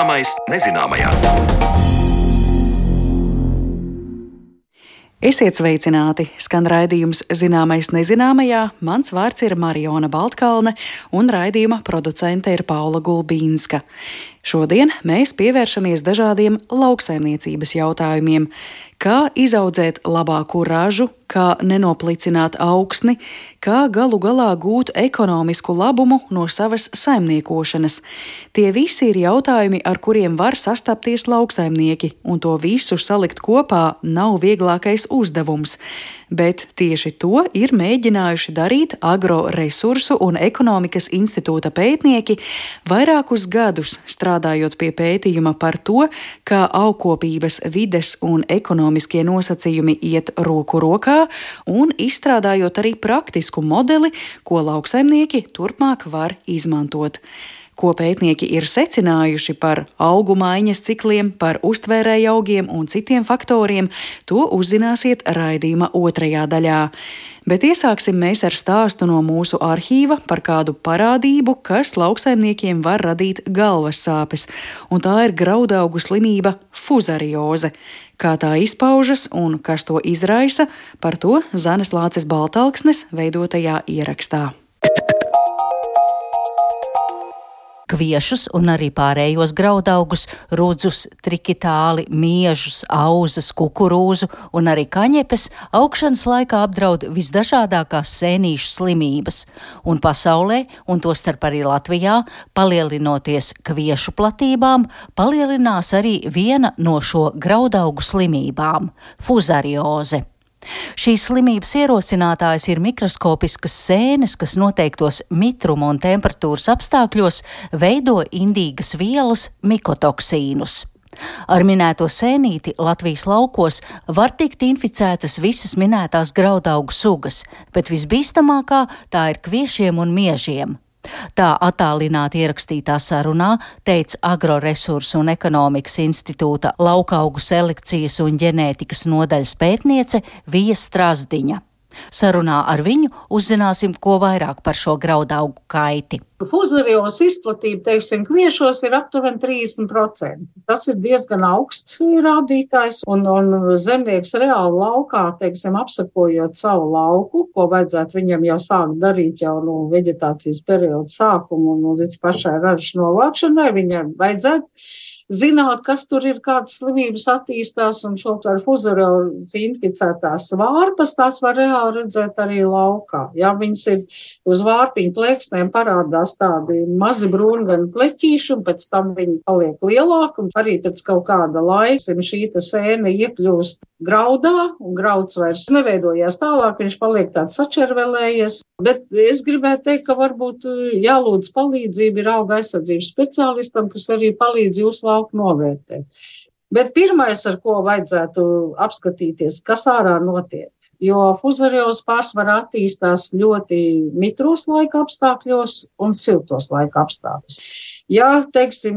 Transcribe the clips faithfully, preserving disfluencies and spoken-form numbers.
Zināmais nezināmajā. Esiet sveicināti! Skan raidījums Zināmais nezināmajā. Mans vārds ir Mariona Baltkalne un raidījuma producente ir Paula Gulbīnska. Šodien mēs pievēršamies dažādiem lauksaimniecības jautājumiem. Kā izaudzēt labāku ražu, kā nenoplicināt augsni, kā galu galā gūt ekonomisku labumu no savas saimniekošanas. Tie visi ir jautājumi, ar kuriem var sastapties lauksaimnieki, un to visu salikt kopā nav vieglākais uzdevums. Bet tieši to ir mēģinājuši darīt Agroresursu un ekonomikas institūta pētnieki vairākus gadus, strādājot pie pētījuma par to, kā augkopības, vides un ekonomiskie nosacījumi iet roku rokā, un izstrādājot arī praktisku modeli, ko lauksaimnieki turpmāk var izmantot. Ko pētnieki ir secinājuši par augu maiņas cikliem, par uztvērēju augiem un citiem faktoriem, to uzzināsiet raidījuma otrajā daļā. Bet iesāksim mēs ar stāstu no mūsu arhīva par kādu parādību, kas lauksaimniekiem var radīt galvas sāpes, un tā ir graudaugu slimība fuzarioze. Kā tā izpaužas un kas to izraisa, par to Zanes Lāces Baltalksnes veidotajā ierakstā. Kviešus un arī pārējos graudaugus, rudzus, trikitāli, miežus, auzas, kukurūzu un arī kaņepes augšanas laikā apdraud visdažādākās sēnīšu slimības. Un pasaulē, un tostarp arī Latvijā, palielinoties kviešu platībām, palielinās arī viena no šo graudaugu slimībām – fuzarioze. Šīs slimības ierosinātājs ir mikroskopiskas sēnes, kas noteiktos mitruma un temperatūras apstākļos veido indīgas vielas mikotoksīnus. Ar minēto sēnīti Latvijas laukos var tikt inficētas visas minētās graudaugu sugas, bet visbīstamākā tā ir kviešiem un miežiem. Tā attālināti ierakstītā sarunā teica Agroresursu un ekonomikas institūta laukaugu selekcijas un ģenētikas nodaļas pētniece Vija Strazdiņa. Sarunā ar viņu uzzināsim, ko vairāk par šo graudaugu kaiti. Fuzariozes izplatība, teiksim, kviešos ir aptuveni trīsdesmit procenti. Tas ir diezgan augsts rādītājs, un, un zemnieks reāli laukā, teiksim, apsakojot savu lauku, ko vajadzētu viņam jau sākt darīt jau no veģetācijas perioda sākuma un līdz pašai ražas novākšanai, viņam vajadzētu zināt, kas tur ir, kādas slimības attīstās, un šo ar fuzariozi inficētās vārpas, tās var reāli redzēt arī laukā. Ja viņas ir uz vārpiņu plēksnēm parādās tādi mazi brūngani pleķīši, un pēc tam viņi paliek lielāki, un arī pēc kaut kāda laika šī sēne iekļūst graudā, un grauds vairs neveidojās tālāk, viņš paliek tāds sačervelējies. Bet es gribētu teikt, ka varbūt jālūdz palīdzību ir auga aizsardzības speciālistam, kas arī palīdz jūsu lauku novērtēt. Bet pirmais, ar ko vajadzētu apskatīties, kas ārā notiek, jo fuzarioze pārsvarā attīstās ļoti mitros laika apstākļos un siltos laika apstākļos. Ja, teiksim,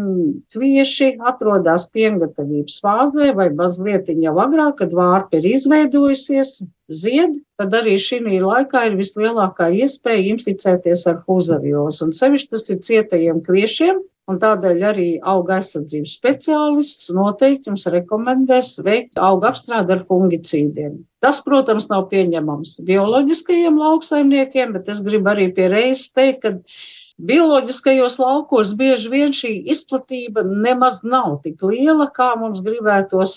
kvieši atrodas piengatavības fāzē vai mazliet jau agrāk, kad vārpa ir izveidojusies, zied, tad arī šī laikā ir vislielākā iespēja inficēties ar fuzariozi. Un sevišķi tas ir cietajiem kviešiem, un tādēļ arī auga aizsardzības speciālists noteikti jums rekomendēs veikt auga apstrādi ar fungicīdiem. Tas, protams, nav pieņemams bioloģiskajiem lauksaimniekiem, bet es gribu arī pie reizes teikt, ka bioloģiskajos laukos bieži vien šī izplatība nemaz nav tik liela, kā mums gribētos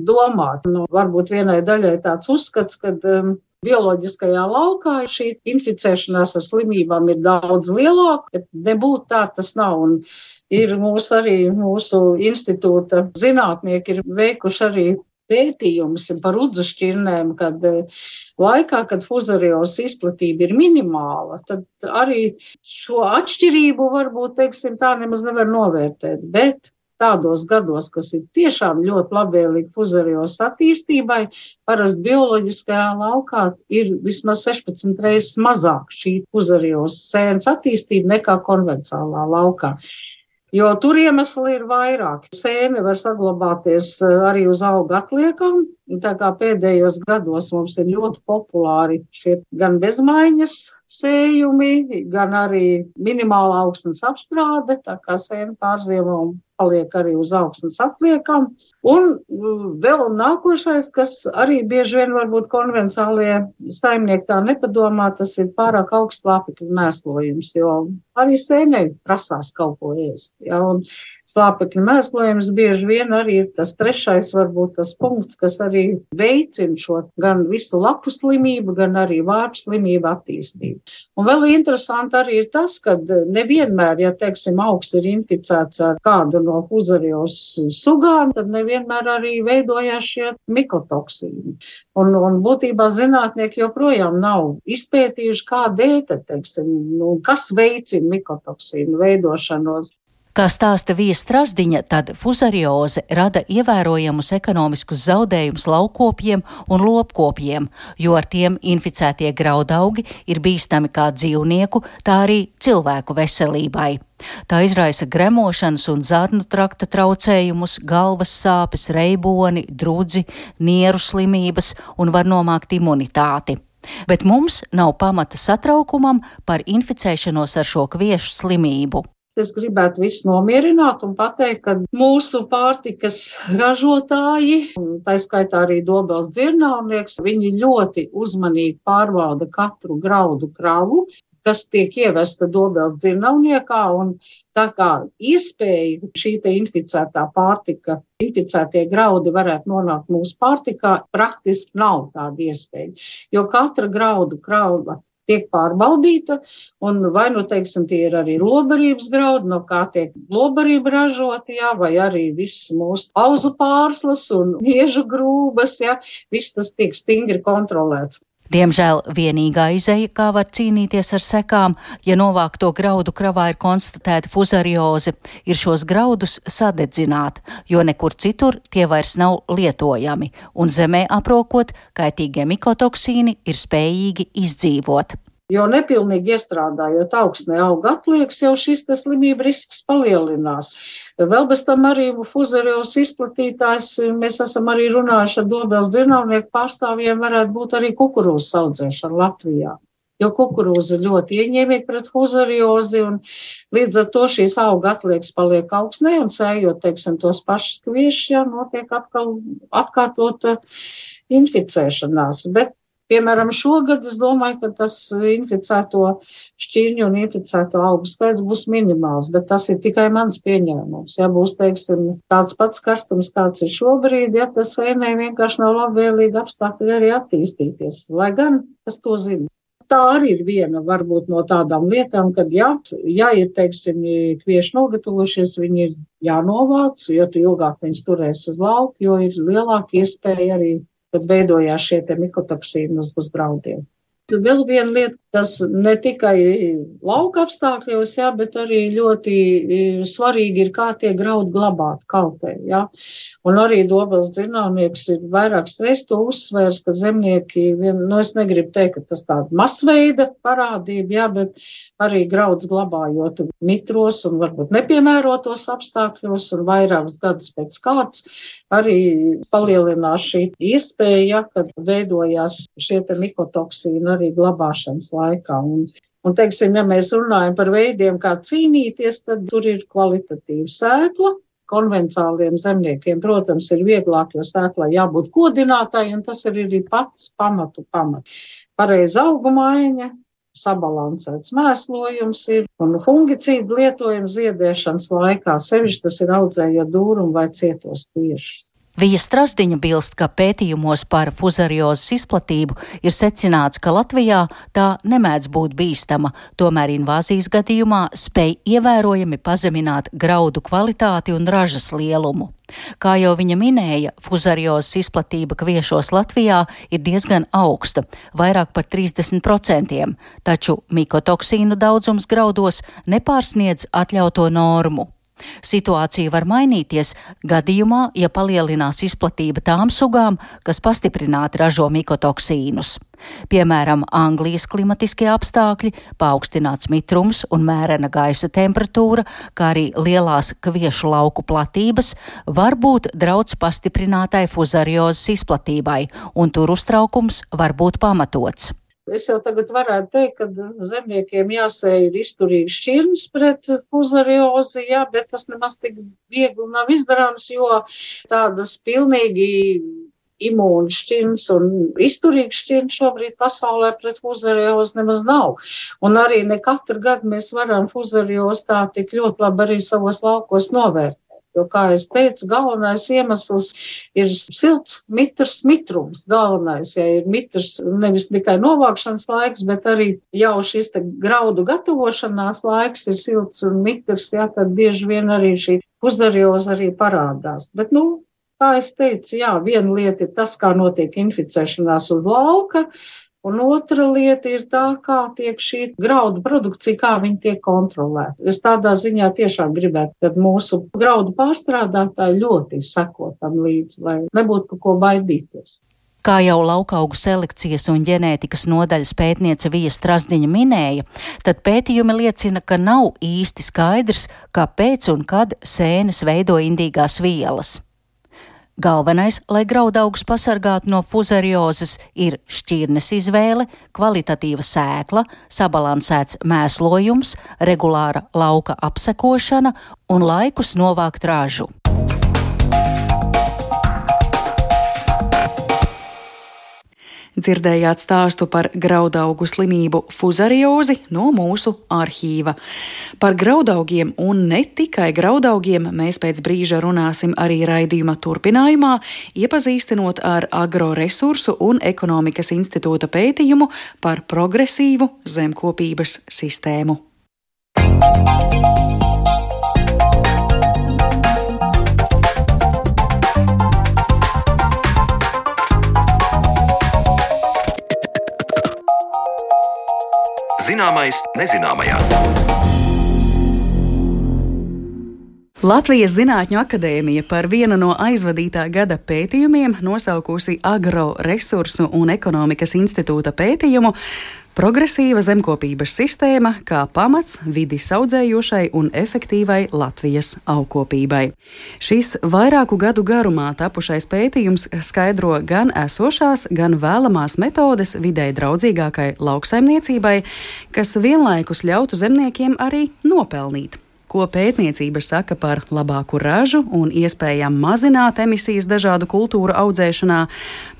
domāt. Nu, varbūt vienai daļai tāds uzskats, ka um, bioloģiskajā laukā šī inficēšanās ar slimībām ir daudz lielāka, bet nebūtu tā tas nav. Un ir mūsu arī mūsu institūta zinātnieki ir veikuši arī pētījums par udzušķirnēm, kad laikā, kad fuzariozes izplatība ir minimāla, tad arī šo atšķirību varbūt, teiksim, tā nemaz nevar novērtēt, bet tādos gados, kas ir tiešām ļoti labvēlīgi fuzariozes attīstībai, parasti bioloģiskajā laukā ir vismaz sešpadsmit reizes mazāk šī fuzariozes sēnes attīstība nekā konvencionālā laukā. Jo tur iemesli ir vairāk. Sēne var saglabāties arī uz auga atliekām, tā kā pēdējos gados mums ir ļoti populāri šie gan bezmaiņas sējumi, gan arī minimāla augstnes apstrāde, tā kā sēne pārziemo un paliek arī uz augsnes atliekam. Un vēl nākošais, kas arī bieži vien varbūt konvencionālie saimnieki tā nepadomā, tas ir pārāk augsts slāpekļu mēslojums, jo arī sēnei prasās kaut ko ēst. Ja? Un slāpekļu mēslojums bieži vien arī ir tas trešais, varbūt tas punkts, kas arī veicina šo gan visu lapu slimību, gan arī vārpu slimību attīstību. Un vēl interesanti arī ir tas, ka nevienmēr, ja, teiksim, augs ir inficēts ar kādu no fuzarios sugām, tad nevienmēr arī veidojās šie mikotoksīni. Un, un būtībā zinātnieki joprojām nav izpētījuši, kādēļ, teiksim, nu, kas veicina mikotoksīnu veidošanos. Kā stāsta Vija Strasdiņa, tad fuzarioze rada ievērojamus ekonomiskus zaudējumus laukopjiem un lopkopjiem, jo ar tiem inficētie graudaugi ir bīstami kā dzīvnieku, tā arī cilvēku veselībai. Tā izraisa gremošanas un zarnu trakta traucējumus, galvas sāpes, reiboni, drudzi, nieru slimības un var nomākt imunitāti. Bet mums nav pamata satraukumam par inficēšanos ar šo kviešu slimību. Es gribētu visu nomierināt un pateikt, ka mūsu pārtikas ražotāji, tā skaitā arī Dobeles dzirnavnieks, viņi ļoti uzmanīgi pārbauda katru graudu kravu, kas tiek ievesta Dobeles dzirnavniekā, un tā kā iespēja šī te inficētā pārtika, inficētie graudi varētu nonākt mūsu pārtikā, praktiski nav tāda iespēja, jo katra graudu krava tiek pārbaudīta, un vai, nu, teiksim, tie ir arī lobarības graudi, no kā tiek lobarība ražota, jā, vai arī viss mūsu auzu pārslas un miežu grūbas, jā, viss tas tiek stingri kontrolēts. Diemžēl vienīgā izeja, kā var cīnīties ar sekām, ja novākto graudu kravā ir konstatēta fuzarioze, ir šos graudus sadedzināt, jo nekur citur tie vairs nav lietojami, un zemē aprokot, kaitīgie mikotoksīni ir spējīgi izdzīvot. Jo nepilnīgi iestrādājot augsnē auga atlieks, jau šis tas slimība risks palielinās. Vēl bez tam arī fuzarios izplatītājs, mēs esam arī runājuši ar Dobeles dzirnavnieku pārstāvjiem, varētu būt arī kukurūzas audzēšana Latvijā. Jo kukurūza ļoti ieņēmīga pret fuzariozi, un līdz ar to šīs auga atlieks paliek augsnē, un sējot, teiksim, tos pašus kviešus, jā, notiek atkal atkārtota inficēšanās. Bet piemēram, šogad es domāju, ka tas inficēto šķirņu un inficēto augu skaits būs minimāls, bet tas ir tikai mans pieņēmums. Ja būs, teiksim, tāds pats karstums, kāds ir šobrīd, ja tas sēnei vienkārši nav labvēlīgi apstākļi arī attīstīties, lai gan es to zinu. Tā arī ir viena varbūt no tādām lietām, kad jā, ja ir, teiksim, kvieši nogatavojušies, viņi ir jānovāc, jo tu ilgāk viņus turēs uz lauku, jo ir lielāka iespēja arī, kad veidojās šie te mikotoksīni uz, uz graudiem. Vēl viena lieta, tas ne tikai lauka apstākļos, jā, bet arī ļoti svarīgi ir, kā tie graudi glabāt kaltē, jā. Un arī Dobeles dzirnavnieks ir vairākas reizes to uzsvērs, ka zemnieki, vien, nu es negribu teikt, ka tas tāda masveida parādība, jā, bet arī grauds glabājot mitros un varbūt nepiemērotos apstākļos un vairākas gadus pēc kārtas, arī palielinās šī iespēja, ja, kad veidojās šie te mikotoksīni arī glabāšanas laikā. Un, un teiksim, ja mēs runājam par veidiem, kā cīnīties, tad tur ir kvalitatīva sēkla. Konvencionāliem zemniekiem, protams, ir vieglāk, jo sēklai jābūt kodinātāji, un tas ir arī pats pamatu pamats. Pareiza augumaiņa, sabalansēts mēslojums ir, un fungicīdu lietojums ziedēšanas laikā, sevišķi tas ir audzējot dūrumu vai cietos kviešus. Vija Strasdiņa bilst, ka pētījumos par fuzariozes izplatību ir secināts, ka Latvijā tā nemēdz būt bīstama, tomēr invāzijas gadījumā spēj ievērojami pazemināt graudu kvalitāti un ražas lielumu. Kā jau viņa minēja, fuzariozes izplatība kviešos Latvijā ir diezgan augsta, vairāk par trīsdesmit procentiem, taču mikotoksīnu daudzums graudos nepārsniedz atļauto normu. Situācija var mainīties gadījumā, ja palielinās izplatība tām sugām, kas pastiprināti ražo mikotoksīnus. Piemēram, Anglijas klimatiskie apstākļi, paaugstināts mitrums un mērena gaisa temperatūra, kā arī lielās kviešu lauku platības, var būt draudz pastiprinātai fuzariozes izplatībai, un tur uztraukums var būt pamatots. Es jau tagad varētu teikt, ka zemniekiem jāsēj ir izturīgi šķirnes pret fuzariozi, jā, bet tas nemaz tik viegli nav izdarāms, jo tādas pilnīgi imūnu šķirnes un izturīgas šķirnes šobrīd pasaulē pret fuzariozi nemaz nav. Un arī ne katru gadu mēs varam fuzariozi tā tik ļoti labi arī savos laukos novērtēt. Jo, kā es teicu, galvenais iemesls ir silts, mitrs, mitrums. Galvenais, ja ir mitrs nevis tikai novākšanas laiks, bet arī jau šis te graudu gatavošanās laiks ir silts un mitrs, jā, tad bieži vien arī šī fuzarioza arī parādās. Bet, nu, kā es teicu, jā, viena lieta ir tas, kā notiek inficēšanās uz lauka, un otra lieta ir tā, kā tiek šī graudu produkcija, kā viņi tiek kontrolēta. Es tādā ziņā tiešām gribētu, ka mūsu graudu pārstrādātāji ļoti seko tam līdzi, lai nebūtu par ko baidīties. Kā jau laukaugu selekcijas un ģenētikas nodaļas pētniece Vija Strazdiņa minēja, tad pētījumi liecina, ka nav īsti skaidrs, kāpēc un kad sēnes veido indīgās vielas. Galvenais, lai graudaugus pasargātu no fuzariozes, ir šķirnes izvēle, kvalitatīva sēkla, sabalansēts mēslojums, regulāra lauka apsekošana un laikus novākt ražu. Dzirdējāt stāstu par graudaugu slimību fuzariozi no mūsu arhīva. Par graudaugiem un ne tikai graudaugiem mēs pēc brīža runāsim arī raidījuma turpinājumā, iepazīstinot ar Agroresursu un ekonomikas institūta pētījumu par progresīvu zemkopības sistēmu. Zināmais nezināmajā. Latvijas Zinātņu akadēmija par vienu no aizvadītā gada pētījumiem nosaukusi Agroresursu un ekonomikas institūta pētījumu Progresīva zemkopības sistēma kā pamats vidi saudzējošai un efektīvai Latvijas augkopībai. Šis vairāku gadu garumā tapušais pētījums skaidro gan esošās, gan vēlamās metodes videi draudzīgākai lauksaimniecībai, kas vienlaikus ļautu zemniekiem arī nopelnīt. Ko pētniecība saka par labāku ražu un iespējām mazināt emisijas dažādu kultūru audzēšanā.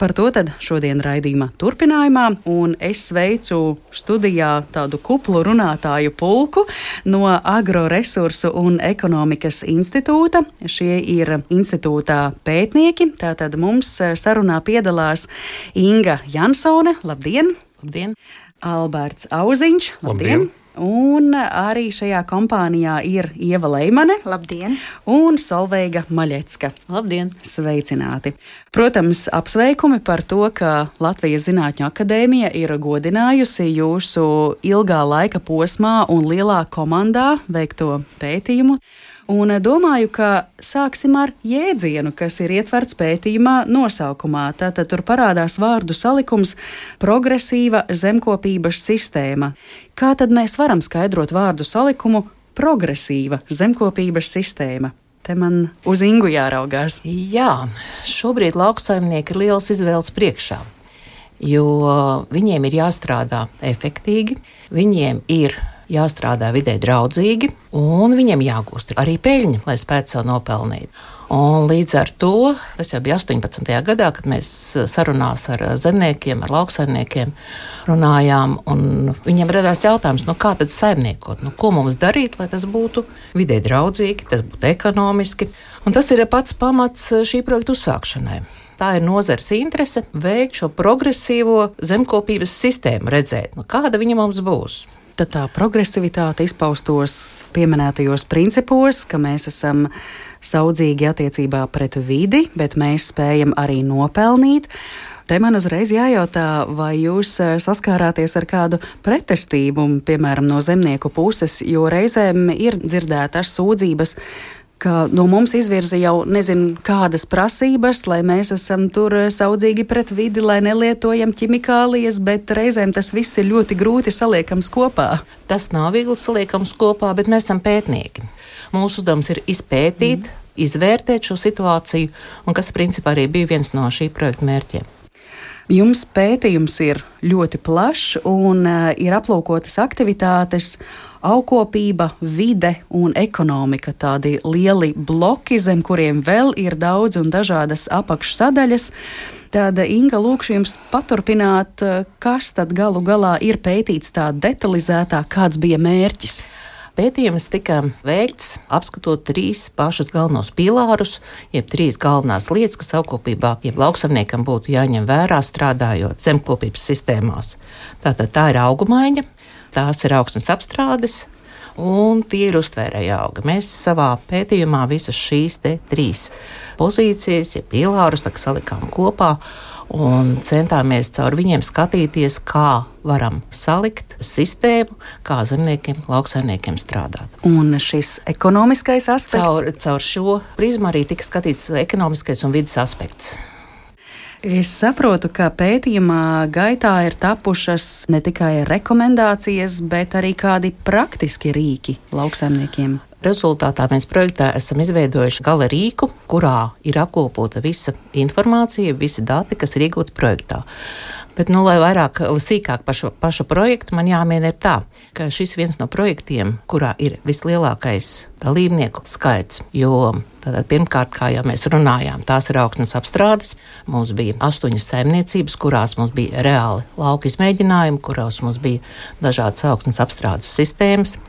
Par to tad šodien raidījuma turpinājumā, un es sveicu studijā tādu kuplu runātāju pulku no Agroresursu un ekonomikas institūta. Šie ir institūtā pētnieki, tātad mums sarunā piedalās Inga Jansone, labdien! Labdien! Alberts Auziņš, labdien! Labdien. Un arī šajā kompānijā ir Ieva Leimane. Labdien! Un Solveiga Maļecka. Labdien! Sveicināti! Protams, apsveikumi par to, ka Latvijas Zinātņu akadēmija ir godinājusi jūsu ilgā laika posmā un lielā komandā veikto pētījumu. Un domāju, ka sāksim ar jēdzienu, kas ir ietverts pētījumā nosaukumā. Tātad tur parādās vārdu salikums progresīva zemkopības sistēma. Kā tad mēs varam skaidrot vārdu salikumu progresīva zemkopības sistēma? Te man uz Ingu jāraugās. Jā, šobrīd lauksaimnieki ir liels izvēles priekšā, jo viņiem ir jāstrādā efektīgi, viņiem ir jāstrādā vidē draudzīgi, un viņiem jāgūst arī peļņa, lai spētu sev nopelnīt. Un līdz ar to, tas jau bija astoņpadsmitajā gadā, kad mēs sarunās ar zemniekiem, ar lauksaimniekiem runājām, un viņiem radās jautājums, nu kā tad saimniekot, nu ko mums darīt, lai tas būtu vidē draudzīgi, tas būtu ekonomiski. Un tas ir pats pamats šī projekta uzsākšanai. Tā ir nozares interese veikt šo progresīvo zemkopības sistēmu, redzēt, nu kāda viņa mums būs. Tad tā progresivitāte izpaustos pieminētajos principos, ka mēs esam saudzīgi attiecībā pret vidi, bet mēs spējam arī nopelnīt. Te man uzreiz jājautā, vai jūs saskārāties ar kādu pretestību, piemēram, no zemnieku puses, jo reizēm ir dzirdētas sūdzības, ka no mums izvirza jau nezinu kādas prasības, lai mēs esam tur saudzīgi pret vidi, lai nelietojam ķimikālijas, bet reizēm tas viss ir ļoti grūti saliekams kopā. Tas nav viegli saliekams kopā, bet mēs esam pētnieki. Mūsu uzdevums ir izpētīt, mm. izvērtēt šo situāciju, un kas principā arī bija viens no šī projekta mērķiem. Jums pētījums ir ļoti plašs un uh, ir aplūkotas aktivitātes, augkopība, vide un ekonomika. Tādi lieli bloki, zem kuriem vēl ir daudz un dažādas apakšsadaļas. Tāda, Inga, lūkšu jums paturpināt, kas tad galu galā ir pētīts tā detalizētāk, kāds bija mērķis? Pētījums tika veikts apskatot trīs pašus galvenos pilārus, jeb trīs galvenās lietas, kas augkopībā, jeb lauksaimniekam būtu jāņem vērā strādājot zemkopības sistēmās. Tātad tā ir augumaiņa, tās ir augsnes apstrādes un tie ir uztvērēja augi. Mēs savā pētījumā visas šīs te trīs pozīcijas, ja pilārus, tā salikām kopā un centāmies caur viņiem skatīties, kā varam salikt sistēmu, kā zemniekiem, lauksaimniekiem strādāt. Un šis ekonomiskais aspekts? Caur, caur šo prizmu arī tika skatīts ekonomiskais un vidas aspekts. Es saprotu, ka pētījumā gaitā ir tapušas ne tikai rekomendācijas, bet arī kādi praktiski rīki lauksaimniekiem. Rezultātā mēs projektā esam izveidojuši gala rīku, kurā ir apkopota visa informācija, visi dati, kas ir iegūti projektā. Bet, nu, lai vairāk, sīkāk par šo pašu projektu, man jāmin ir tā, ka šis viens no projektiem, kurā ir vislielākais dalībnieku skaits, jo tātad pirmkārt, kā jau mēs runājām, tās ir augsnes apstrādes. Mums bija astoņas saimniecības, kurās mums bija reāli lauka izmēģinājumi, kurās mums bija dažādas augsnes apstrādes sistēmas.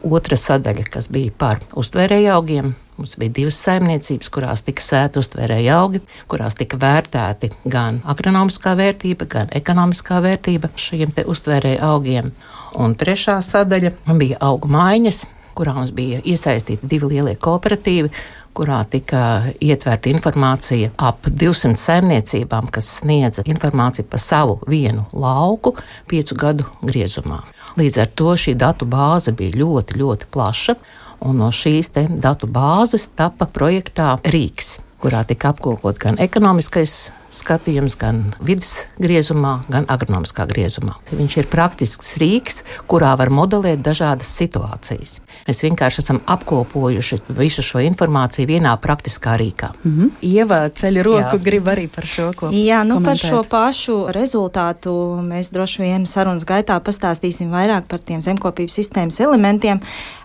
Otra sadaļa, kas bija par uztvērēju augiem, mums bija divas saimniecības, kurās tika sēti uztvērēju augi, kurās tika vērtēti gan agronomiskā vērtība, gan ekonomiskā vērtība šiem te uztvērēju augiem. Un trešā sadaļa bija augu maiņas, kurā mums bija iesaistīti divi lielie kooperatīvi, kurā tika ietverta informācija ap divsimt saimniecībām, kas sniedza informāciju par savu vienu lauku piecu gadu griezumā. Līdz ar to šī datu bāze bija ļoti, ļoti plaša, un no šīs te datu bāzes tapa projektā rīks, kurā tika apkopot gan ekonomiskais skatījums, gan vidas griezumā, gan agronomiskā griezumā. Viņš ir praktisks rīks, kurā var modelēt dažādas situācijas. Mēs vienkārši esam apkopojuši visu šo informāciju vienā praktiskā rīkā. Mm-hmm. Ieva ceļ roku, grib arī par šo ko Jā, nu komentēt. Par šo pašu rezultātu mēs droši vien sarunas gaitā pastāstīsim vairāk par tiem zemkopības sistēmas elementiem,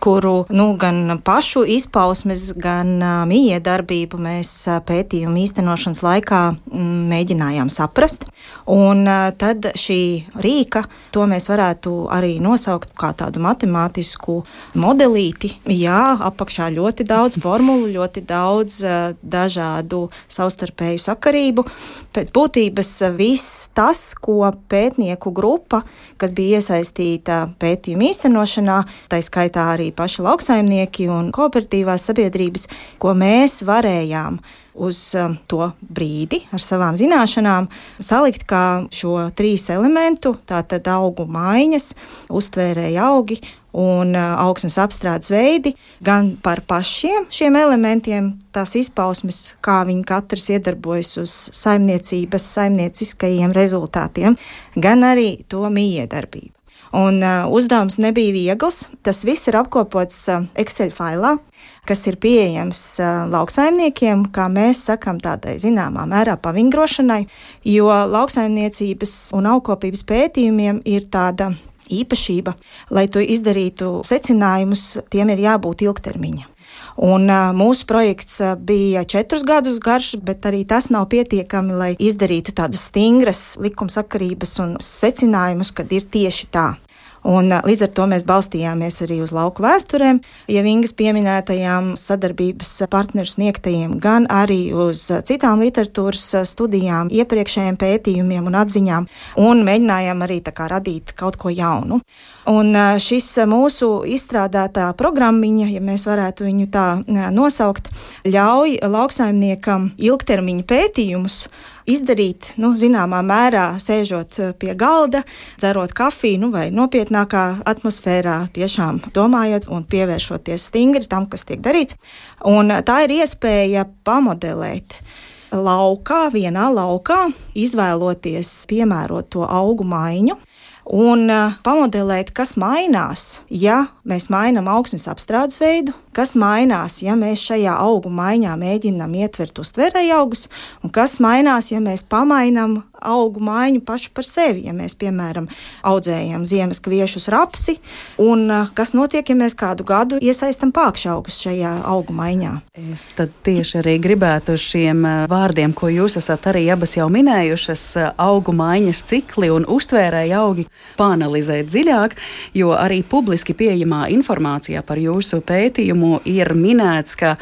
kuru nu, gan pašu izpausmes, gan uh, mijiedarbību mēs uh, pētījumu īstenošanas laikā mm, mēģinājām saprast. Un uh, tad šī rīka, to mēs varētu arī nosaukt kā tādu matemātisku modelīti. Jā, apakšā ļoti daudz formulu, ļoti daudz uh, dažādu savstarpēju sakarību. Pēc būtības uh, viss tas, ko pētnieku grupa, kas bija iesaistīta pētījuma īstenošanā, tā skaitā arī paši lauksaimnieki un kooperatīvās sabiedrības, ko mēs varējām uz um, to brīdi ar savām zināšanām salikt kā šo trīs elementu, tātad augu maiņas, uztvērēja augi un uh, augsnes apstrādes veidi, gan par pašiem šiem elementiem, tās izpausmes, kā viņi katrs iedarbojas uz saimniecības, saimnieciskajiem rezultātiem, gan arī to mijiedarbību. Un uh, uzdevums nebija viegls, tas viss ir apkopots uh, Excel failā, kas ir pieejams uh, lauksaimniekiem, kā mēs sakam, tādai zināmā mērā pavingrošanai, jo lauksaimniecības un augkopības pētījumiem ir tāda īpašība, lai to izdarītu secinājumus, tiem ir jābūt ilgtermiņa. Un uh, mūsu projekts uh, bija četrus gadus garš, bet arī tas nav pietiekami, lai izdarītu tādas stingras likumsakarības un secinājumus, kad ir tieši tā. Un līdz ar to mēs balstījāmies arī uz lauku vēsturēm, ja Ingas pieminētajām sadarbības partneru sniegtajiem, gan arī uz citām literatūras studijām, iepriekšējiem pētījumiem un atziņām, un mēģinājām arī tā kā radīt kaut ko jaunu. Un šis mūsu izstrādātā programmiņa, ja mēs varētu viņu tā nosaukt, ļauj lauksaimniekam ilgtermiņa pētījumus izdarīt, nu, zināmā mērā sēžot pie galda, dzerot kafiju, nu, vai nopietnākā atmosfērā, tiešām domājot un pievēršoties stingri tam, kas tiek darīts. Un tā ir iespēja pamodelēt laukā, vienā laukā, izvēloties piemērot to augu maiņu, un pamodelēt, kas mainās, ja mēs mainām augsnes apstrādes veidu, kas mainās, ja mēs šajā augu maiņā mēģinām ietvert uztvērēju augus, un kas mainās, ja mēs pamainām augu maiņu pašu par sevi, ja mēs, piemēram, audzējam ziemas kviešus, rapsi, un kas notiek, ja mēs kādu gadu iesaistam pākšaugus šajā augu maiņā. Es tad tieši arī gribētu šiem vārdiem, ko jūs esat arī abas jau minējušas, augu maiņas cikli un uztvērēju augi, pāanalizēt dziļāk, jo arī publiski pieejamā informācijā par jūsu pētījumu ir minēts, ka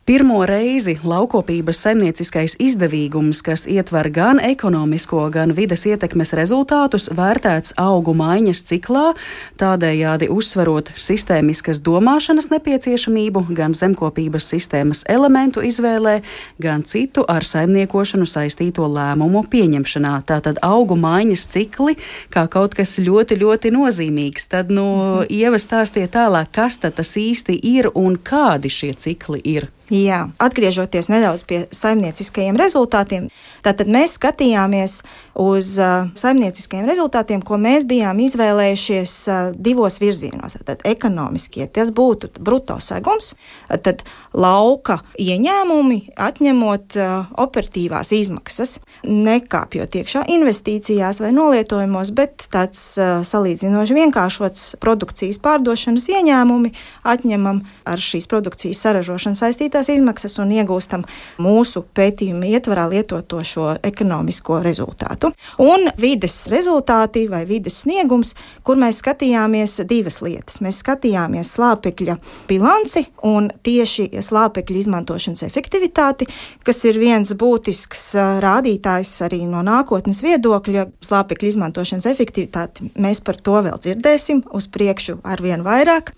pirmo reizi laukopības saimnieciskais izdevīgums, kas ietver gan ekonomisko, gan vides ietekmes rezultātus, vērtēts augu maiņas ciklā, tādējādi uzsverot sistēmiskas domāšanas nepieciešamību gan zemkopības sistēmas elementu izvēlē, gan citu ar saimniekošanu saistīto lēmumu pieņemšanā. Tātad augu maiņas cikli kā kaut kas ļoti, ļoti nozīmīgs. Tad, nu, mm-hmm. Ieva, stāstiet tālāk, kas tad tas īsti ir un kādi šie cikli ir? Jā, atgriežoties nedaudz pie saimnieciskajiem rezultātiem, tātad mēs skatījāmies uz uh, saimnieciskajiem rezultātiem, ko mēs bijām izvēlējušies uh, divos virzienos. Tad ekonomiskie, tas būtu bruto segums, tad lauka ieņēmumi, atņemot uh, operatīvās izmaksas, nekāpjot iekšā investīcijās vai nolietojumos, bet tāds uh, salīdzinoši vienkāršots produkcijas pārdošanas ieņēmumi atņemam ar šīs produkcijas saražošanu saistītās izmaksas un iegūstam mūsu pētījuma ietvarā lietoto šo ekonomisko rezultātu. Un vides rezultāti vai vides sniegums, kur mēs skatījāmies divas lietas. Mēs skatījāmies slāpekļa bilanci un tieši slāpekļa izmantošanas efektivitāti, kas ir viens būtisks rādītājs arī no nākotnes viedokļa. Slāpekļa izmantošanas efektivitāti mēs par to vēl dzirdēsim uz priekšu arvien vairāk.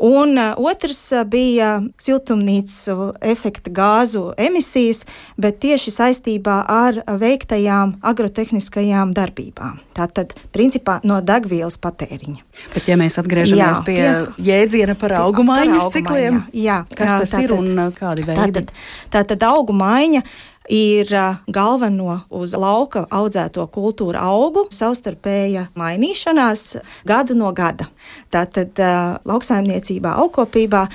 Un otrs bija siltumnīcu efekta gāzu emisijas, bet tieši saistībā ar veiktajām agrotehniskajām darbībām. Tātad, principā, no degvielas patēriņa. Bet ja mēs atgriežamies jā, pie jā, jēdziena par augu maiņas cikliem, jā, kas jā, tas tātad, ir un kādi veidi? Tātad, tātad augu maiņa ir galveno uz lauka audzēto kultūru augu savstarpēja mainīšanās gadu no gada. Tātad lauksaimniecībā, augkopībā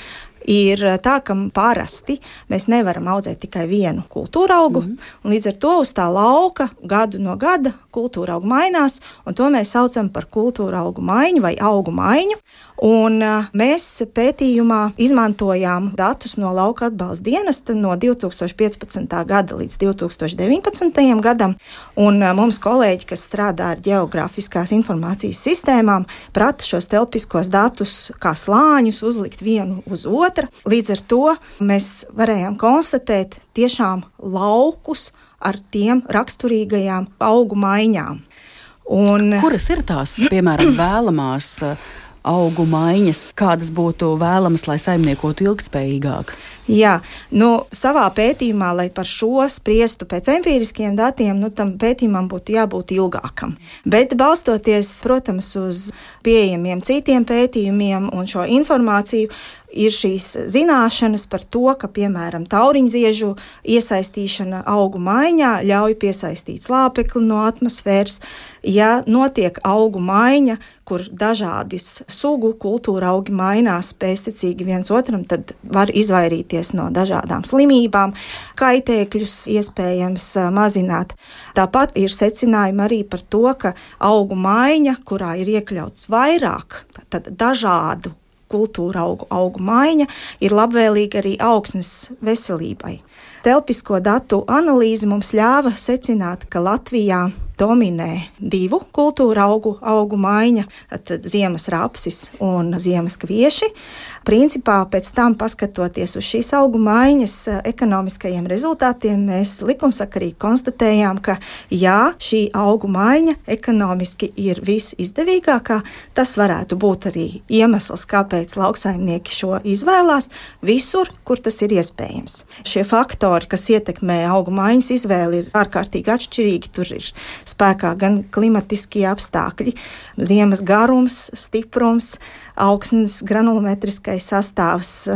ir tā, ka parasti mēs nevaram audzēt tikai vienu kultūra augu, mm. un līdz ar to uz tā lauka gadu no gada kultūra augu mainās, un to mēs saucam par kultūra augu maiņu vai augu maiņu. Un mēs pētījumā izmantojām datus no lauka atbalsta dienesta no divi tūkstoši piecpadsmitā gada līdz divi tūkstoši deviņpadsmitajam gadam, un mums kolēģi, kas strādā ar ģeogrāfiskās informācijas sistēmām, prata šos telpiskos datus kā slāņus uzlikt vienu uz otru. Līdz ar to mēs varējām konstatēt tiešām laukus ar tiem raksturīgajām augu maiņām. Un, kuras ir tās, piemēram, vēlamās augu maiņas, kādas būtu vēlamas, lai saimniekotu ilgtspējīgāk? Jā, nu, savā pētījumā, lai par šo spriestu pēc empīriskiem datiem, nu, tam pētījumam būtu jābūt ilgākam. Bet balstoties, protams, uz pieejamiem citiem pētījumiem un šo informāciju, ir šīs zināšanas par to, ka, piemēram, tauriņziežu iesaistīšana augu maiņā ļauj piesaistīt slāpekli no atmosfēras. Ja notiek augu maiņa, kur dažādas sugu kultūra augi mainās pēctecīgi viens otram, tad var izvairīties no dažādām slimībām, kaitēkļus iespējams mazināt. Tāpat ir secinājumi arī par to, ka augu maiņa, kurā ir iekļauts vairāk, tad dažādu kultūra augu, augu maiņa, ir labvēlīga arī augsnes veselībai. Telpisko datu analīze mums ļāva secināt, ka Latvijā dominē divu kultūra augu, augu maiņa, tad ziemas rapsis un ziemas kvieši. Principā pēc tam, paskatoties uz šīs augu maiņas ekonomiskajiem rezultātiem, mēs likumsakarīgi konstatējām, ka jā, šī augu maiņa ekonomiski ir visizdevīgākā. Tas varētu būt arī iemesls, kāpēc lauksaimnieki šo izvēlās visur, kur tas ir iespējams. Šie faktori, kas ietekmē augu maiņas izvēli, ir ārkārtīgi atšķirīgi. Tur ir spēkā gan klimatiskie apstākļi, ziemas garums, stiprums, augsnes granulometriskais ķīmiskais sastāvs,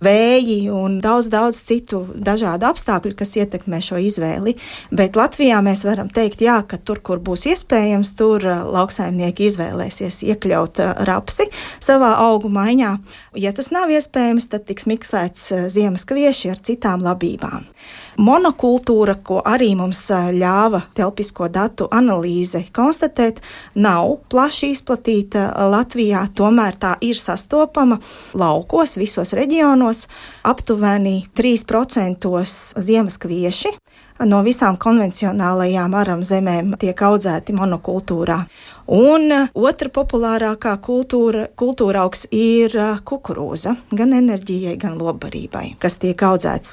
vēji un daudz, daudz citu dažādu apstākļu, kas ietekmē šo izvēli. Bet Latvijā mēs varam teikt, jā, ka tur, kur būs iespējams, tur lauksaimnieki izvēlēsies iekļaut rapsi savā augu maiņā. Ja tas nav iespējams, tad tiks miksēts ziemas kvieši ar citām labībām. Monokultūra, ko arī mums ļāva telpisko datu analīze konstatēt, nav plaši izplatīta Latvijā, tomēr tā ir sastopama laukos, visos reģionos, aptuveni trīs procenti ziemas kvieši no visām konvencionālajām aram zemēm tiek audzēti monokultūrā. Un otra populārākā kultūra, kultūra augs ir kukurūza, gan enerģijai, gan lobbarībai, kas tiek audzēts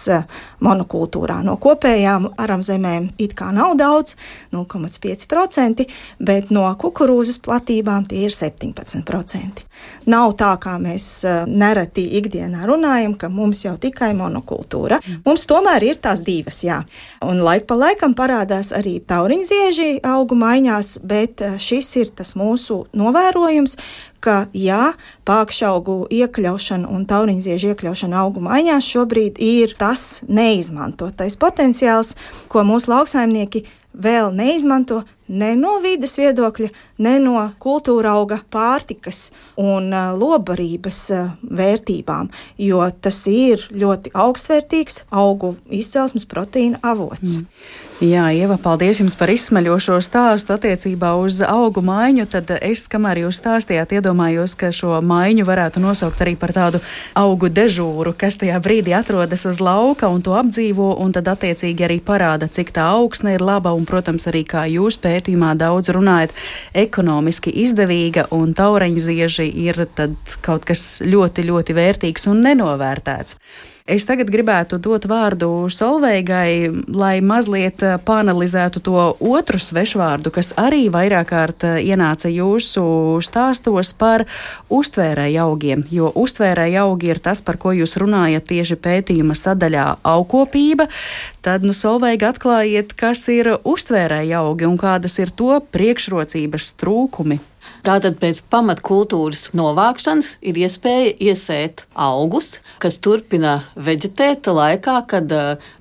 monokultūrā. No kopējām aram zemēm it kā nav daudz, nulle komats pieci procenti, bet no kukurūzas platībām tie ir septiņpadsmit procenti. Nav tā, kā mēs nereti ikdienā runājam, ka mums jau tikai monokultūra. Mums tomēr ir tās divas, jā. Un laik pa laikam parādās arī tauriņzieži augu maiņās, bet šis ir tas mūsu novērojums, ka jā, pākšaugu iekļaušana un tauriņziežu iekļaušana augu maiņās šobrīd ir tas neizmantotais potenciāls, ko mūsu lauksaimnieki vēl neizmanto ne no vides viedokļa, ne no kultūra auga pārtikas un lobbarības vērtībām, jo tas ir ļoti augstvērtīgs augu izcelsmes proteīna avots. Mm. Jā, Ieva, paldies jums par izsmeļošo stāstu attiecībā uz augu maiņu. Tad es, kamēr jūs stāstījāt, iedomājos, ka šo maiņu varētu nosaukt arī par tādu augu dežūru, kas tajā brīdī atrodas uz lauka un to apdzīvo, un tad attiecīgi arī parāda, cik tā augsne ir laba, un, protams, arī kā jūs pētījumā daudz runājat, ekonomiski izdevīga, un taureņzieži ir tad kaut kas ļoti, ļoti vērtīgs un nenovērtēts. Es tagad gribētu dot vārdu Solveigai, lai mazliet pāanalizētu to otru svešvārdu, kas arī vairāk kārt ienāca jūsu stāstos par uztvērēju augiem, jo uztvērēju augi ir tas, par ko jūs runājat tieši pētījuma sadaļā augkopība. Tad, nu, Solveiga, atklājiet, kas ir uztvērēju augi un kādas ir to priekšrocības trūkumi. Tātad pēc pamatkultūras novākšanas ir iespēja iesēt augus, kas turpina veģetēt laikā, kad,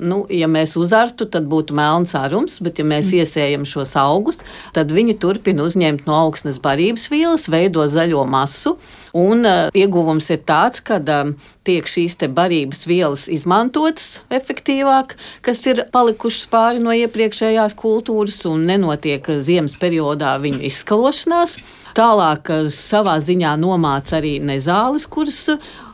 nu, ja mēs uzartu, tad būtu melns arums, bet ja mēs iesējam šos augus, tad viņi turpina uzņemt no augsnes barības vielas, veido zaļo masu. Un uh, ieguvums ir tāds, ka uh, tiek šīs te barības vielas izmantotas efektīvāk, kas ir palikušas pāri no iepriekšējās kultūras un nenotiek ziemas periodā viņu izskalošanās. Tālāk savā ziņā nomāca arī nezāles, kuras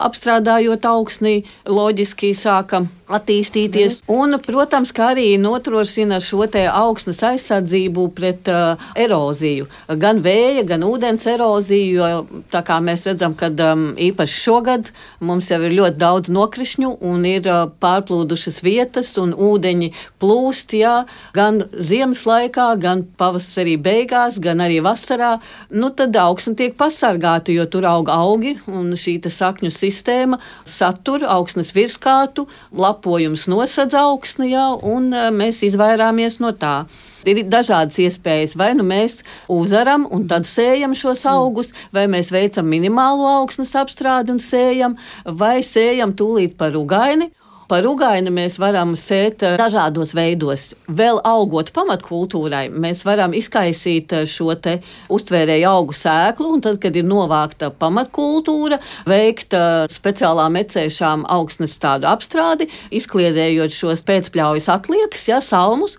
apstrādājot augsnī loģiski sāka attīstīties. Un, protams, kā arī nodrošina šo te augsnes aizsardzību pret uh, eroziju. Gan vēja, gan ūdens eroziju, jo tā kā mēs redzam, ka um, īpaši šogad mums jau ir ļoti daudz nokrišņu un ir uh, pārplūdušas vietas un ūdeņi plūst, jā, gan ziemas laikā, gan pavasarī beigās, gan arī vasarā. Nu, tad augsne tiek pasargāta, jo tur aug augi un šī te sakņu sistēma satur augsnes virskātu, lapojums nosedz augsni jau, un mēs izvairāmies no tā. Ir dažādas iespējas, vai nu mēs uzaram un tad sējam šos augus, vai mēs veicam minimālo augsnes apstrādi un sējam, vai sējam tūlīt par ugaini. Par ugaini mēs varam sēt dažādos veidos. Vēl augot pamatkultūrai, mēs varam izkaisīt šo te uztvērēju augu sēklu, un tad, kad ir novākta pamatkultūra, veikt speciālā mecēšām augsnes tādu apstrādi, izkliedējot šos pēcpļaujas atliekas, ja, salmus,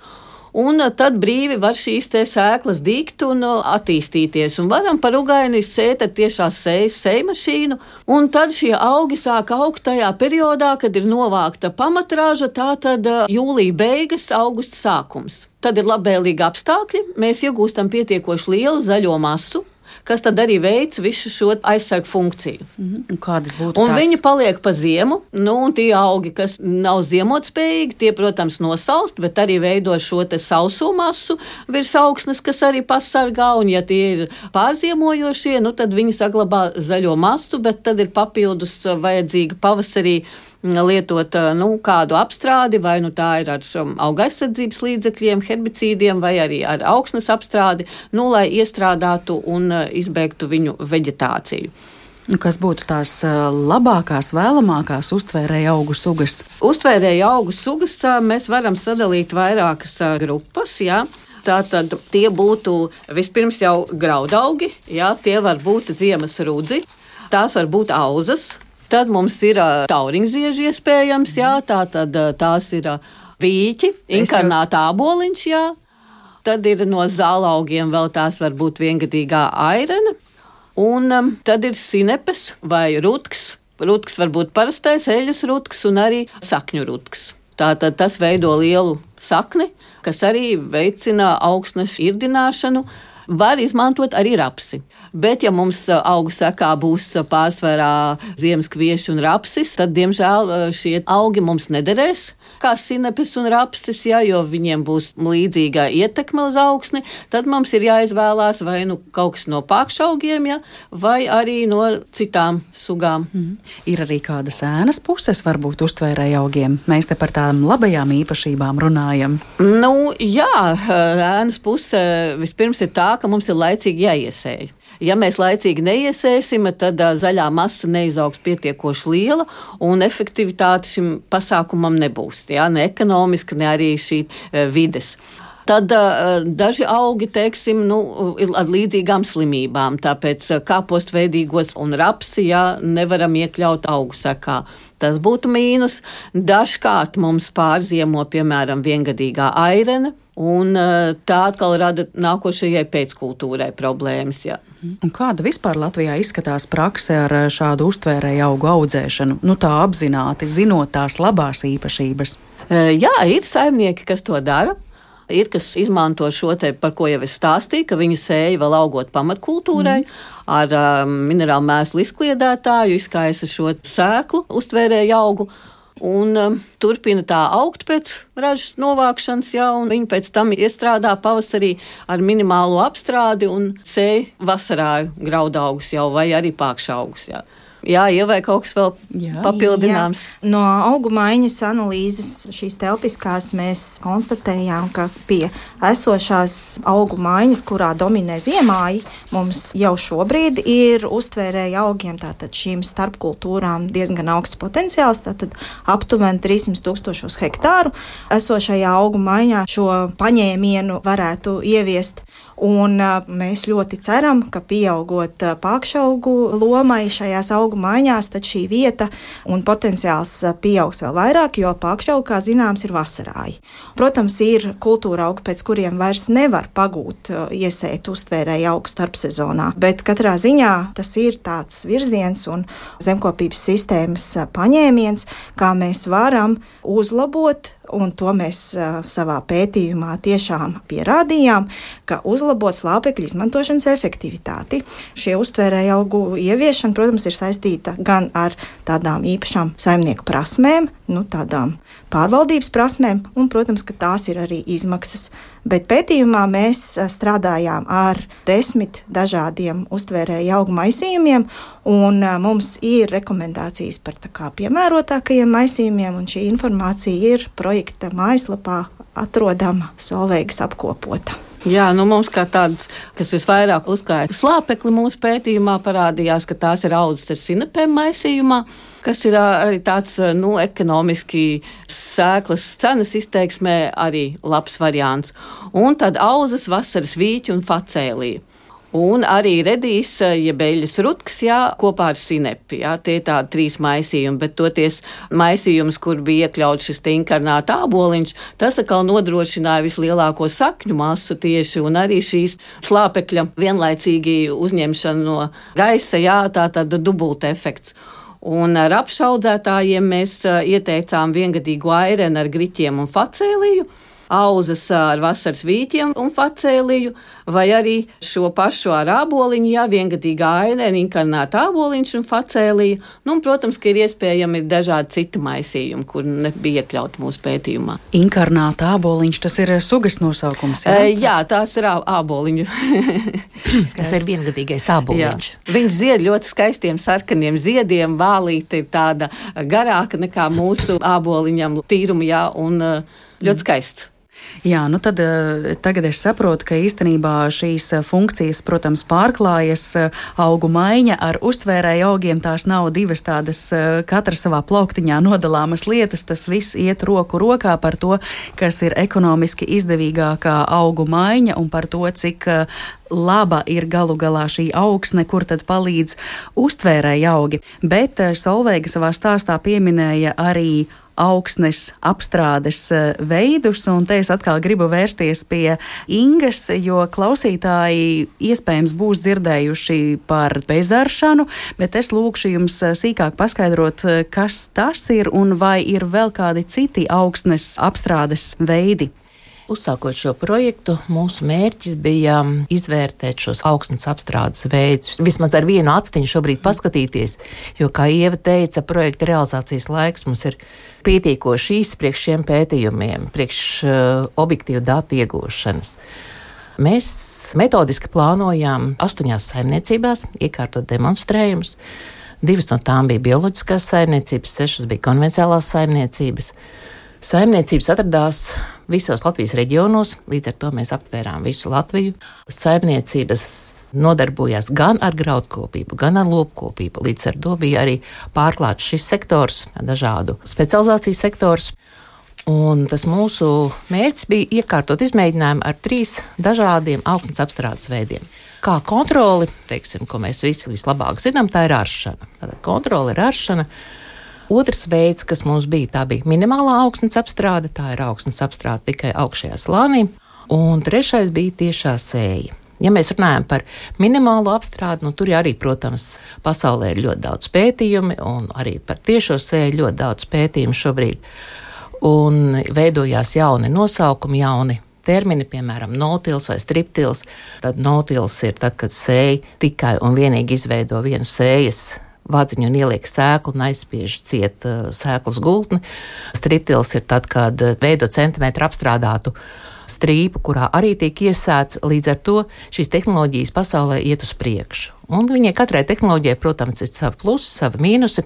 un tad brīvi var šīs te sēklas dīgt un attīstīties. Un varam par ugaini sēt ar tiešās sējas sējmašīnu, un tad šie augi sāk augt tajā periodā, kad ir novākta pamatraža, tātad jūlija beigas, augusta sākums. Tad ir labvēlīgi apstākļi, mēs iegūstam pietiekoši lielu zaļo masu, kas tad arī veic visu šo aizsargu funkciju. Mm-hmm. Kādas būtu un tās? Viņi paliek pa ziemu, nu, un tie augi, kas nav ziemotspējīgi, tie, protams, nosalst, bet arī veido šo te sauso masu virs augsnes, kas arī pasargā, un ja tie ir pārziemojošie, nu, tad viņi saglabā zaļo masu, bet tad ir papildus vajadzīga pavasarī lietot nu, kādu apstrādi, vai nu tā ir ar auga aizsardzības līdzekļiem, herbicīdiem, vai arī ar augsnes apstrādi, nu, lai iestrādātu un izbeigtu viņu veģetāciju. Kas būtu tās labākās, vēlamākās uztvērēja augu sugas? Uztvērēja augu sugas mēs varam sadalīt vairākas grupas, jā. Tātad tie būtu vispirms jau graudaugi, jā, tie var būt ziemas rudzi, tās var būt auzas, tad mums ir tauriņzieži iespējams, jā, tātad tās ir vīķi, inkarnāta āboliņš, jā, tad ir no zālaugiem vēl tās var būt viengadīgā airena. Un um, tad ir sinepes vai rutks. Rutks var būt parastais eļas rutks un arī sakņu rutks. Tātad tas veido lielu sakni, kas arī veicina augsnes irdināšanu. Var izmantot arī rapsi. Bet, ja mums augu sekā būs pārsvarā ziemas kvieši un rapsis, tad, diemžēl, šie augi mums nederēs kā sinepes un rapsis, ja, jo viņiem būs līdzīga ietekme uz augsni, tad mums ir jāizvēlās vai nu kaut kas no pākšaugiem, ja, vai arī no citām sugām. Mm. Ir arī kādas ēnas puses varbūt uztvērēja augiem. Mēs te par tām labajām īpašībām runājam. Nu, jā, ēnas puse vispirms ir tā, ka mums ir laicīgi jāiesēj. Ja mēs laicīgi neiesēsim, tad uh, zaļā masa neizaugs pietiekoši liela un efektivitāte šim pasākumam nebūs, jā, ne ekonomiski, ne arī šī uh, vides. Tad uh, daži augi, teiksim, nu, ir ar līdzīgām slimībām, tāpēc uh, kāpostveidīgos un rapsi, jā, nevaram iekļaut augu sekā. Tas būtu mīnus. Dažkārt mums pārziemo, piemēram, viengadīgā airena, un uh, tā atkal rada nākošajai pēckultūrai problēmas, jā. Un kāda vispār Latvijā izskatās prakse ar šādu uztvērēju augu audzēšanu? Nu tā apzināti, zinot tās labās īpašības. Uh, jā, ir saimnieki, kas to dara. Ir, kas izmanto šo te, par ko jau es stāstīju, ka viņu sēja vēl augot pamatkultūrai, mm. ar um, minerālu mēslu izkliedētāju, izkaisa šo sēklu uztvērēju augu. Un um, turpina tā augt pēc ražas novākšanas, jā, un viņi pēc tam iestrādā pavasarī ar minimālo apstrādi un sēja vasarāju graudaugus jau vai arī pākšaugus, jā. Jā, ja vai kaut kas vēl jā, papildināms. Jā. No augu maiņas analīzes šīs telpiskās mēs konstatējām, ka pie esošās augu maiņas, kurā dominē ziemāji, mums jau šobrīd ir uztvērēja augiem, tātad šīm starpkultūrām diezgan augsts potenciāls, tātad aptuveni trīssimt tūkstošos hektāru. Esošajā augu maiņā šo paņēmienu varētu ieviest. Un mēs ļoti ceram, ka pieaugot pākšaugu lomai šajās augu maiņās, tad šī vieta un potenciāls pieaugs vēl vairāk, jo pākšaugi, kā zināms, ir vasarāji. Protams, ir kultūra augi, pēc kuriem vairs nevar pagūt iesēt uztvērēju augu starpsezonā, bet katrā ziņā tas ir tāds virziens un zemkopības sistēmas paņēmiens, kā mēs varam uzlabot. Un to mēs uh, savā pētījumā tiešām pierādījām, ka uzlabot slāpekļu izmantošanas efektivitāti. Šie uztvērēja augu ieviešana, protams, ir saistīta gan ar tādām īpašām saimnieku prasmēm, nu, tādām pārvaldības prasmēm, un, protams, ka tās ir arī izmaksas. Bet pētījumā mēs strādājām ar desmit dažādiem uztvērēja augu maisījumiem, un mums ir rekomendācijas par tā kā piemērotākajiem maisījumiem, un šī informācija ir projekta mājaslapā atrodama Solveigas apkopota. Jā, nu mums kā tādas, kas visvairāk uzklāja slāpekli mūsu pētījumā, parādījās, ka tās ir audzes ar sinepēm maisījumā, kas ir arī tāds, nu, ekonomiski sēklas cenas izteiksmē arī labs variants. Un tad auzas, vasaras vīķi un facēlija. Un arī redīs, ja beļas rutks, jā, kopā ar sinepi, jā, tie ir tādi trīs maisījumi, bet toties maisījums, kur bija iekļauts šis te inkarnāta āboliņš, tas atkal nodrošināja vislielāko sakņu masu tieši, un arī šīs slāpekļa vienlaicīgi uzņemšana no gaisa, jā, tā tad dubulta efekts. Un ar apšaudzētājiem mēs ieteicām viengadīgu airenu ar griķiem un facēliju, auzas ar vasaras vīķiem un facēliju, vai arī šo pašu ar āboliņu, jā, viengadīgā airena, inkarnāta āboliņš un facēlija. Nu, un, protams, ka ir iespējami dažādi citi maisījumi, kur nebija iekļauti mūsu pētījumā. Inkarnāta āboliņš, tas ir sugas nosaukums, jā? E, jā, tās ir āboliņu. Tas ir viengadīgais āboliņš. Jā. Viņš zied ļoti skaistiem sarkaniem ziediem, vālīte ir tāda garāka nekā mūsu āboliņam tīruma, jā, un ļoti skaists. Jā, nu tad tagad es saprotu, ka īstenībā šīs funkcijas, protams, pārklājas, augu maiņa ar uztvērēju augiem, tās nav divas tādas katra savā plauktiņā nodalāmas lietas, tas viss iet roku rokā par to, kas ir ekonomiski izdevīgākā augu maiņa un par to, cik laba ir galu galā šī augsne, kur tad palīdz uztvērēji augi. Bet Solveiga savā stāstā pieminēja arī augsnes apstrādes veidus, un te es atkal gribu vērsties pie Ingas, jo klausītāji iespējams būs dzirdējuši par bezaršanu, bet es lūkšu jums sīkāk paskaidrot, kas tas ir un vai ir vēl kādi citi augsnes apstrādes veidi. Uzsākot šo projektu, mūsu mērķis bija izvērtēt šos augsnes apstrādes veidus. Vismaz ar vienu actiņu šobrīd paskatīties, jo, kā Ieva teica, projekta realizācijas laiks mums ir pietiekoši īsts priekš šiem pētījumiem, priekš uh, objektīvu datu iegūšanas. Mēs metodiski plānojām astoņās saimniecībās iekārtot demonstrējumus. Divas no tām bija bioloģiskās saimniecības, sešas bija konvencionālās saimniecības. Saimniecības atradās visos Latvijas reģionos, līdz ar to mēs aptvērām visu Latviju. Saimniecības nodarbojās gan ar graudkopību, gan ar lopkopību. Līdz ar to bija arī pārklāts šis sektors, dažādu specializāciju sektors. Un tas mūsu mērķis bija iekārtot izmēģinājumu ar trīs dažādiem augsnes apstrādes veidiem. Kā kontroli, teiksim, ko mēs visi vislabāk zinām, tā ir aršana. Tātad kontrole ir aršana. Otrs veids, kas mums bija, tā bija minimālā augsnes apstrāde, tā ir augsnes apstrāde tikai augšējā slānī, un trešais bija tiešā sēja. Ja mēs runājam par minimālo apstrādi, nu tur arī, protams, pasaulē ir ļoti daudz pētījumi, un arī par tiešo sēju ļoti daudz pētījumu šobrīd, un veidojās jauni nosaukumi, jauni termini, piemēram, no-tils vai striptils. Tad no-tils ir tad, kad sēja tikai un vienīgi izveido vienu sējas vādziņu un ieliek sēklu un aizspiež ciet uh, sēklas gultni. Striptils ir tad, kad veido centimetru apstrādātu strīpu, kurā arī tiek iesēts. Līdz ar to šīs tehnoloģijas pasaulē iet uz priekšu. Un viņai katrai tehnoloģijai, protams, ir savi plusi, savi mīnusi.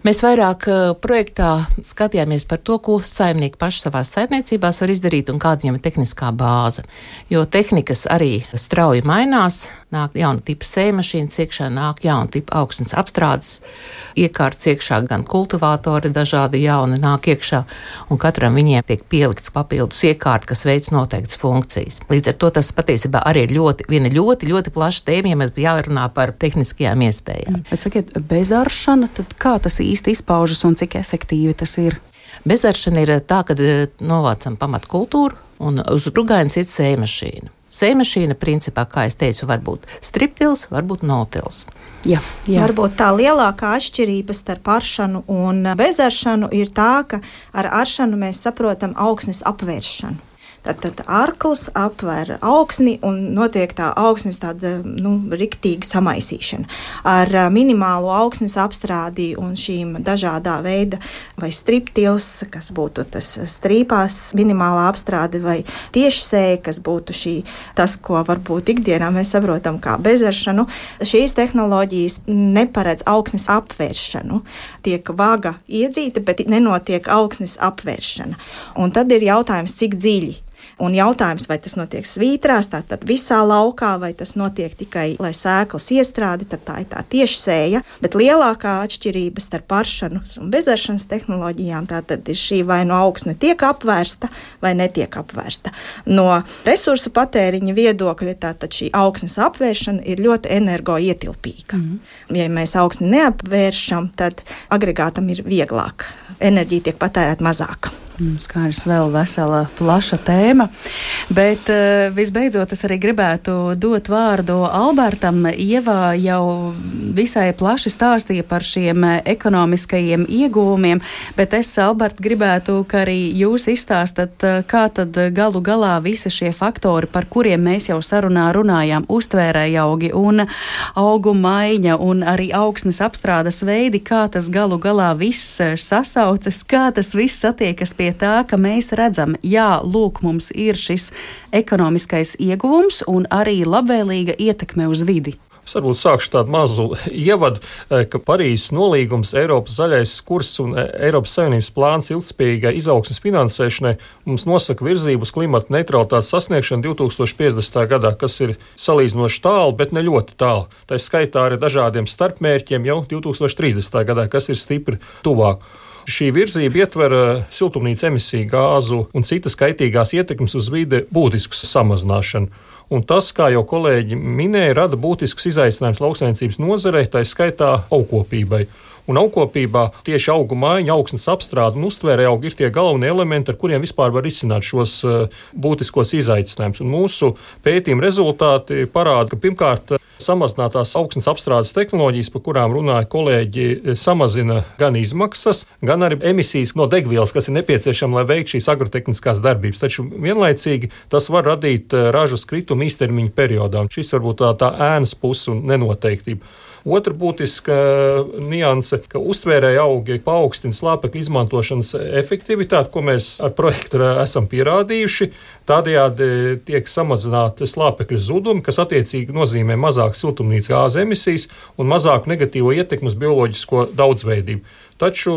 Mēs vairāk uh, projektā skatījāmies par to, ko saimnieki paši savās saimniecībās var izdarīt un kāda viņam ir tehniskā bāze. Jo tehnikas arī strauji mainās, nāk jauna tipa sējmašīnas iekšā, nāk jauna tipa augsnes apstrādes iekārtas iekšā, gan kultivātori dažādi jauni nāk iekšā, un katram viņiem tiek pielikts papildus iekārta, kas veic noteiktas funkcijas. Līdz ar to tas patiesībā arī ir ļoti, viena ļoti, ļoti plaša tēma, ja mēs jārunā par tehniskajām iespējām. Bet sakiet, bezaršana, tad kā tas īsti izpaužas un cik efektīvi tas ir? Bezaršana ir tā, kad novācam pamatkultūru un uz rugainas iet sējmašīna. Sējmašīna, principā, kā es teicu, var būt striptils, var būt no-tils. Jā, jā. Varbūt tā lielākā atšķirība starp aršanu un bezaršanu ir tā, ka ar aršanu mēs saprotam augsnes apvēršanu. Tad arkls apver augsni un notiek tā augsnes tāda, nu, riktīga samaisīšana. Ar minimālo augsnes apstrādi un šīm dažādā veida vai striptils, kas būtu tas strīpās minimālā apstrāde vai tiešsēja, kas būtu šī, tas, ko varbūt ikdienā mēs saprotam kā bezaršanu. Šīs tehnoloģijas neparedz augsnes apvēršanu. Tiek vaga iedzīta, bet nenotiek augsnes apvēršana. Un tad ir jautājums, cik dziļi. Un jautājums, vai tas notiek svītrās, tātad visā laukā, vai tas notiek tikai, lai sēklas iestrādi, tad tā ir tā tiešsēja. Bet lielākā atšķirība starp aršanas un bezaršanas tehnoloģijām tātad ir šī, vai no augsne tiek apvērsta vai netiek apvērsta. No resursu patēriņa viedokļa tātad šī augsnes apvēršana ir ļoti energoietilpīga. Mm-hmm. Ja mēs augsni neapvēršam, tad agregātam ir vieglāk. Enerģija tiek patērēta mazāk. Skaidrs, vēl vesela plaša tēma, bet uh, visbeidzot es arī gribētu dot vārdu Albertam. Ieva jau visai plaši stāstīja par šiem ekonomiskajiem iegūmiem, bet es, Albert, gribētu, ka arī jūs izstāstat, kā tad galu galā visi šie faktori, par kuriem mēs jau sarunā runājām, uztvērēji augi un augu maiņa un arī augsnes apstrādes veidi, kā tas galu galā viss sasaucas, kā tas viss satiekas pie tā, ka mēs redzam, jā, lūk, mums ir šis ekonomiskais ieguvums un arī labvēlīga ietekme uz vidi. Es varbūt sākšu tādu mazu ievadu, ka Parīzes nolīgums, Eiropas zaļais kurs un Eiropas Savienības plāns ilgtspējīgai izaugsmes finansēšanai mums nosaka virzību uz klimata neutralitātes sasniegšanu divi tūkstoši piecdesmitajā gadā, kas ir salīdzinoši tālu, bet ne ļoti tālu. Tā skaitā ar dažādiem starpmērķiem jau divi tūkstoši trīsdesmitajā gadā, kas ir stipri tuvāk. Šī virzība ietver siltumnīca emisiju gāzu un citas kaitīgās ietekmes uz vide būtisku samazināšanu. Un tas, kā jau kolēģi minēja, rada būtisks izaicinājums lauksaimniecības nozarei, tā skaitā augkopībai. Un augkopībā tieši augu maiņa, augsnes apstrāde un uztvērē augi ir tie galvenie elementi, ar kuriem vispār var izsināt šos uh, būtiskos izaicinājumus. Un mūsu pētījuma rezultāti parāda, ka pirmkārt samazinātās augsnes apstrādes tehnoloģijas, par kurām runāja kolēģi, samazina gan izmaksas, gan arī emisijas no degvielas, kas ir nepieciešama, lai veiktu šīs agrotehniskās darbības. Taču vienlaicīgi tas var radīt ražas kritumu īstermiņa periodā. Un šis varbūt tā, tā ēnas puse un nenoteiktība. Otra būtiska nianse, ka uztvērēja augi paaugstina slāpekļa izmantošanas efektivitāti, ko mēs ar projektu esam pierādījuši. Tādējādi tiek samazināti slāpekļa zudumi, kas attiecīgi nozīmē mazāk siltumnīcas gāzu emisijas un mazāku negatīvo ietekmi uz bioloģisko daudzveidību. Taču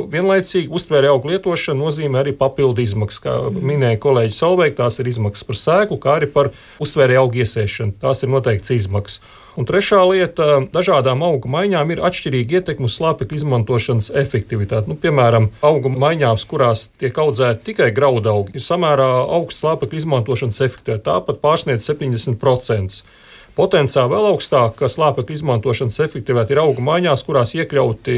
vienlaicīgi uztvērēja augu lietošana nozīmē arī papildu izmaksas. Kā minēja kolēģis Solveig, tās ir izmaksas par sēklu, kā arī par uztvērēja augu iesēšanu. Tās ir noteikts izmaksas. Un trešā lieta - dažādām augu maiņām ir atšķirīga ietekme uz slāpekļa izmantošanas efektivitāti. Nu, piemēram, augu maiņās, kurās tiek audzēti tikai graudaugi, ir samērā augsts slāpekļa izmantošanas efektivitāte, tāpat pārsniedz septiņdesmit procentus. Potenciāli vēl augstāka slāpekļa izmantošanas efektivitāte ir augu maiņās, kurās iekļauti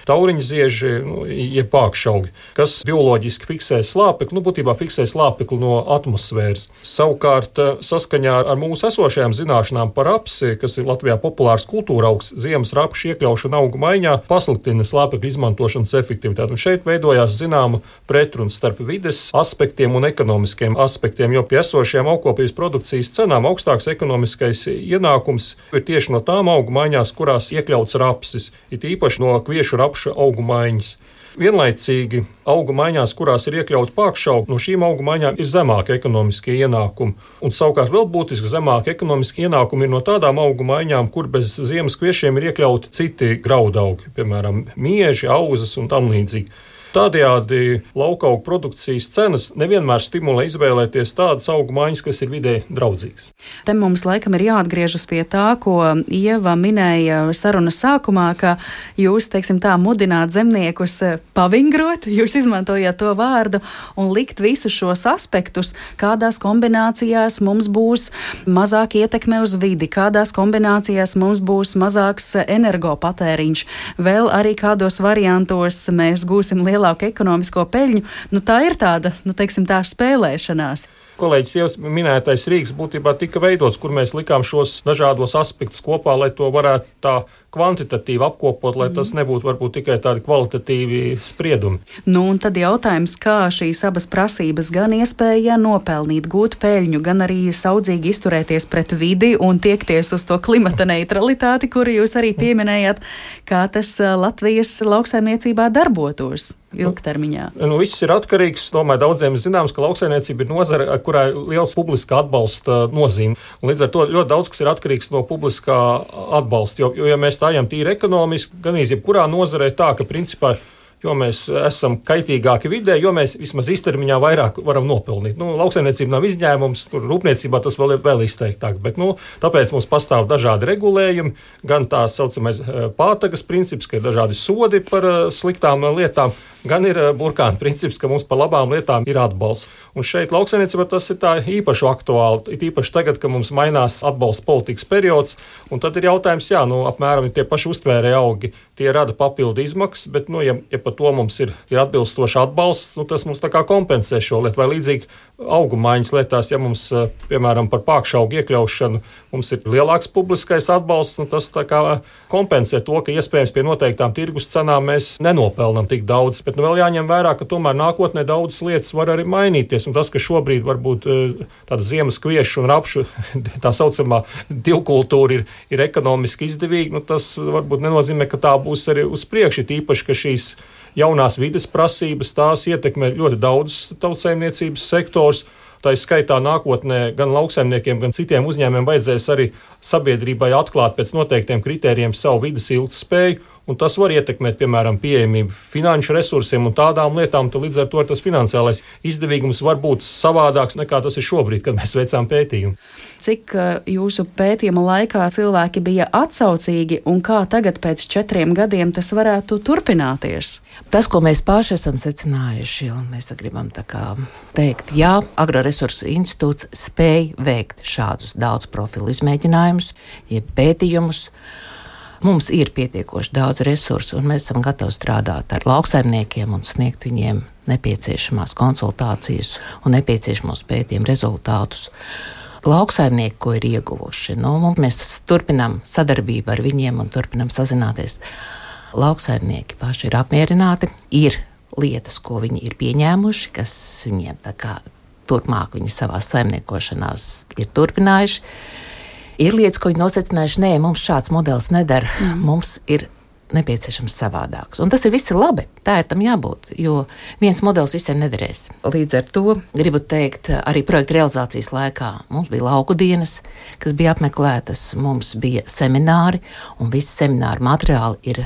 tauriņa zieži, nu, jeb pākšaugi, kas bioloģiski fiksē slāpekli, nu, būtībā fiksē slāpekli no atmosfēras. Savukārt, saskaņā ar mūsu esošajām zināšanām par rapsi, kas ir Latvijā populārs kultūra augs, ziemas rapšu iekļaušana augu maiņā pasliktina slāpekļa izmantošanas efektivitāti. Un šeit veidojās zināma pretruna starp vides aspektiem un ekonomiskiem aspektiem, jo pie esošajām augkopības produkcijas cenām augstāks ekonomiskais ienākums ir tieši no tām augu maiņās, kurās iekļauts rapsis, it īpaši no kviešu rapša augu maiņas. Vienlaicīgi augu maiņās, kurās ir iekļauts pākšaugi, no šīm augu maiņām ir zemāki ekonomiskie ienākumi. Un savukārt vēl būtiski zemāki ekonomiski ienākumi ir no tādām augu maiņām, kur bez ziemas kviešiem ir iekļauti citi graudaugi, piemēram, mieži, auzas un tam līdzīgi. Tādējādi laukaugu produkcijas cenas nevienmēr stimulē izvēlēties tādas augu maiņas, kas ir vidē draudzīgas. Te mums laikam ir jāatgriežas pie tā, ko Ieva minēja sarunas sākumā, ka jūs, teiksim tā, mudināt zemniekus pavingrot, jūs izmantojāt to vārdu un likt visus šos aspektus, kādās kombinācijās mums būs mazāk ietekme uz vidi, kādās kombinācijās mums būs mazāks energopatēriņš, vēl arī kādos variantos mēs gūsim lielu lielāku ekonomisko peļņu, nu tā ir tāda, nu teiksim tā, spēlēšanās. Kolēģis Ievas minētais rīks būtībā tika veidots, kur mēs likām šos dažādos aspektus kopā, lai to varētu tā kvantitatīvi apkopot, lai tas nebūtu varbūt tikai tādi kvalitatīvi spriedumi. Nu, un tad jautājums, kā šīs abas prasības, gan iespēja nopelnīt, gūt peļņu, gan arī saudzīgi izturēties pret vidi un tiekties uz to klimata neutralitāti, kuru jūs arī pieminējāt, kā tas Latvijas lauksaimniecībā darbotos ilgtermiņā. Nu, viss ir atkarīgs. Domāju, daudziem ir zināms, ka lauksaimniecība ir nozare, kurā ir liels publiskā atbalsta nozīme. Un līdz ar to ļoti daudz kas ir atkarīgs no publiskā atbalsta. Jo, jo ja mēs stājam tīri ekonomiski, gan jebkurā nozarē tā, ka principā jo mēs esam kaitīgāki vidē, jo mēs vismaz īstermiņā vairāk varam nopelnīt. Nu, lauksaimniecība nav izņēmums, tur rūpniecībā tas vēl ir vēl izteiktāk, bet nu, tāpēc mums pastāv dažādi regulējumi, gan tā saucamais pātagas princips, ka ir dažādi sodi par sliktām lietām, gan ir burkāna princips, ka mums par labām lietām ir atbalsts. Un šeit lauksaimniecībā tas ir tā īpaši aktuāli, it īpaši tagad, ka mums mainās atbalsta politikas periods, un tad ir jautājums, jā, nu, apmēram tie paši uztvērēja augi, tie rada papildu izmaksas, bet, nu, ja, ja par to mums ir, ir atbilstoši atbalsts, nu, tas mums tā kā kompensē šo lietu, vai līdzīgi augu maiņas lietās, ja mums, piemēram, par pākšaugu iekļaušanu mums ir lielāks publiskais atbalsts, nu, tas tā kā kompensē to, ka iespējams pie noteiktām tirgus cenām mēs nenopelnam tik daudz, bet nu, vēl jāņem vērā, ka tomēr nākotnē daudzas lietas var arī mainīties, un tas, ka šobrīd varbūt tāda ziemas kviešu un rapšu tā saucamā divkultūra ir, ir ekonomiski izdevīga, nu, tas varbūt nenozīmē, ka tā būs arī uz priekšu, tīpaši, ka šīs jaunās vides prasības, tās ietekmē ļoti daudz tautsaimniecības sektors, Tā ir skaitā nākotnē gan lauksaimniekiem, gan citiem uzņēmumiem vajadzēs arī sabiedrībai atklāt pēc noteiktiem kritērijiem savu vides ilgtspēju, un tas var ietekmēt, piemēram, pieejamību finanšu resursiem un tādām lietām, tad līdz ar to tas finansiālais izdevīgums var būt savādāks nekā tas ir šobrīd, kad mēs veicām pētījumu. Cik jūsu pētījuma laikā cilvēki bija atsaucīgi un kā tagad pēc četriem gadiem tas varētu turpināties? Tas, ko mēs paši esam secinājuši, un mēs gribam tā kā teikt, jā, Agroresursu institūts spēj veikt šādus daudz profilu izmēģinājumus, jeb pētījumus. Mums ir pietiekoši daudz resursu, un mēs esam gatavi strādāt ar lauksaimniekiem un sniegt viņiem nepieciešamās konsultācijas un nepieciešamos pētījumu rezultātus. Lauksaimnieki, ko ir ieguvuši, nu, mēs turpinām sadarbību ar viņiem un turpinām sazināties. Lauksaimnieki paši ir apmierināti, ir lietas, ko viņi ir pieņēmuši, kas viņiem tā kā turpmāk viņi savās saimniekošanās ir turpinājuši. Ir lietas, ko viņi nosacinājuši, nē, mums šāds modelis nedara, mm. mums ir nepieciešams savādāks. Un tas ir viss labi, tā ir tam jābūt, jo viens modelis visiem nederēs. Līdz ar to gribu teikt, arī projekta realizācijas laikā mums bija lauku dienas, kas bija apmeklētas, mums bija semināri, un visi semināru materiāli ir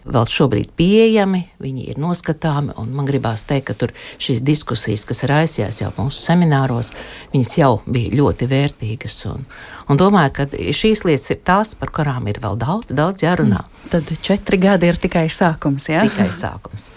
vēl šobrīd pieejami, viņi ir noskatāmi, un man gribās teikt, ka tur šīs diskusijas, kas raisījās jau mūsu semināros, viņas jau bija ļoti vērtīgas, un, un domāju, ka šīs lietas ir tās, par kurām ir vēl daudz, daudz jārunā. Tad četri gadi ir tikai sākums, jā? Tikai sākums.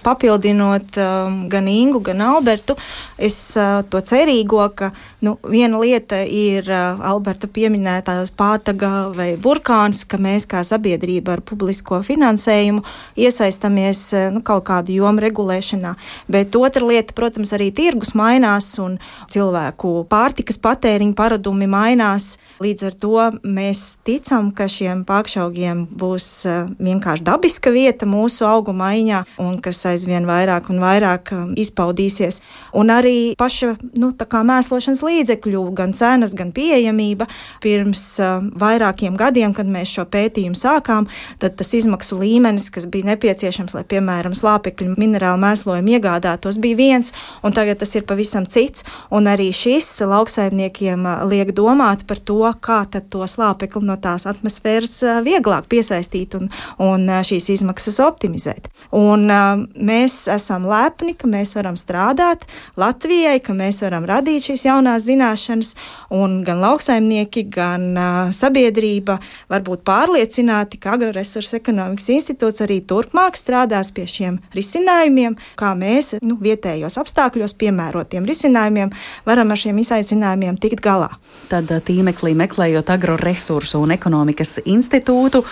Papildinot um, gan Ingu, gan Albertu, es uh, to cerīgo, ka nu, viena lieta ir uh, Alberta pieminētās pātaga vai burkāns, ka mēs kā sabiedrība ar publisko finansējumu iesaistamies uh, nu, kaut kādu jomu regulēšanā, bet otra lieta, protams, arī tirgus mainās un cilvēku pārtikas patēriņa paradumi mainās. Līdz ar to mēs ticam, ka šiem pākšaugiem būs uh, vienkārši dabiska vieta mūsu augu maiņā un kas aizvien vairāk un vairāk um, izpaudīsies. Un arī paša nu, tā kā mēslošanas līdzekļu, gan cenas, gan pieejamība. Pirms um, vairākiem gadiem, kad mēs šo pētījumu sākām, tad tas izmaksu līmenis, kas bija nepieciešams, lai, piemēram, slāpekļu minerālu mēslojumu iegādātos, bija viens, un tagad tas ir pavisam cits. Un arī šis lauksaimniekiem uh, liek domāt par to, kā tad to slāpekli no tās atmosfēras uh, vieglāk piesaistīt un, un uh, šīs izmaksas optimizēt. Un uh, mēs esam lepni, ka mēs varam strādāt Latvijai, ka mēs varam radīt šīs jaunās zināšanas, un gan lauksaimnieki, gan uh, sabiedrība var būt pārliecināti, ka Agroresursu ekonomikas institūts arī turpmāk strādās pie šiem risinājumiem, kā mēs nu, vietējos apstākļos piemērotiem risinājumiem varam ar šiem izaicinājumiem tikt galā. Tad tīmeklī meklējot Agroresursu un ekonomikas institūtu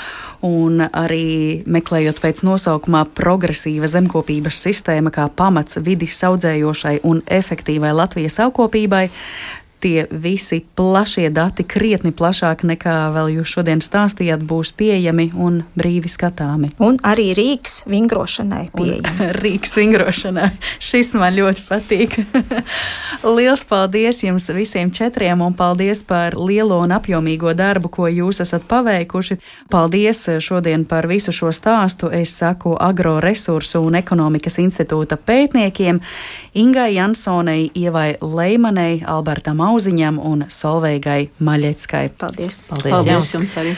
un arī meklējot pēc nosaukumā progresīva zemkopības sistēma kā pamats vidi saudzējošai un efektīvai Latvijas augkopībai. Tie visi plašie dati, krietni plašāk nekā vēl jūs šodien stāstījāt, būs pieejami un brīvi skatāmi. Un arī rīks vingrošanai pieejams. Rīks vingrošanai. Šis man ļoti patīk. Liels paldies jums visiem četriem un paldies par lielo un apjomīgo darbu, ko jūs esat paveikuši. Paldies šodien par visu šo stāstu. Es saku Agroresursu un ekonomikas institūta pētniekiem Ingai Jansonei, Ievai Leimanei, Albertam Auziņam un Solveigai Maļeckai. Paldies! Paldies, Paldies jums arī!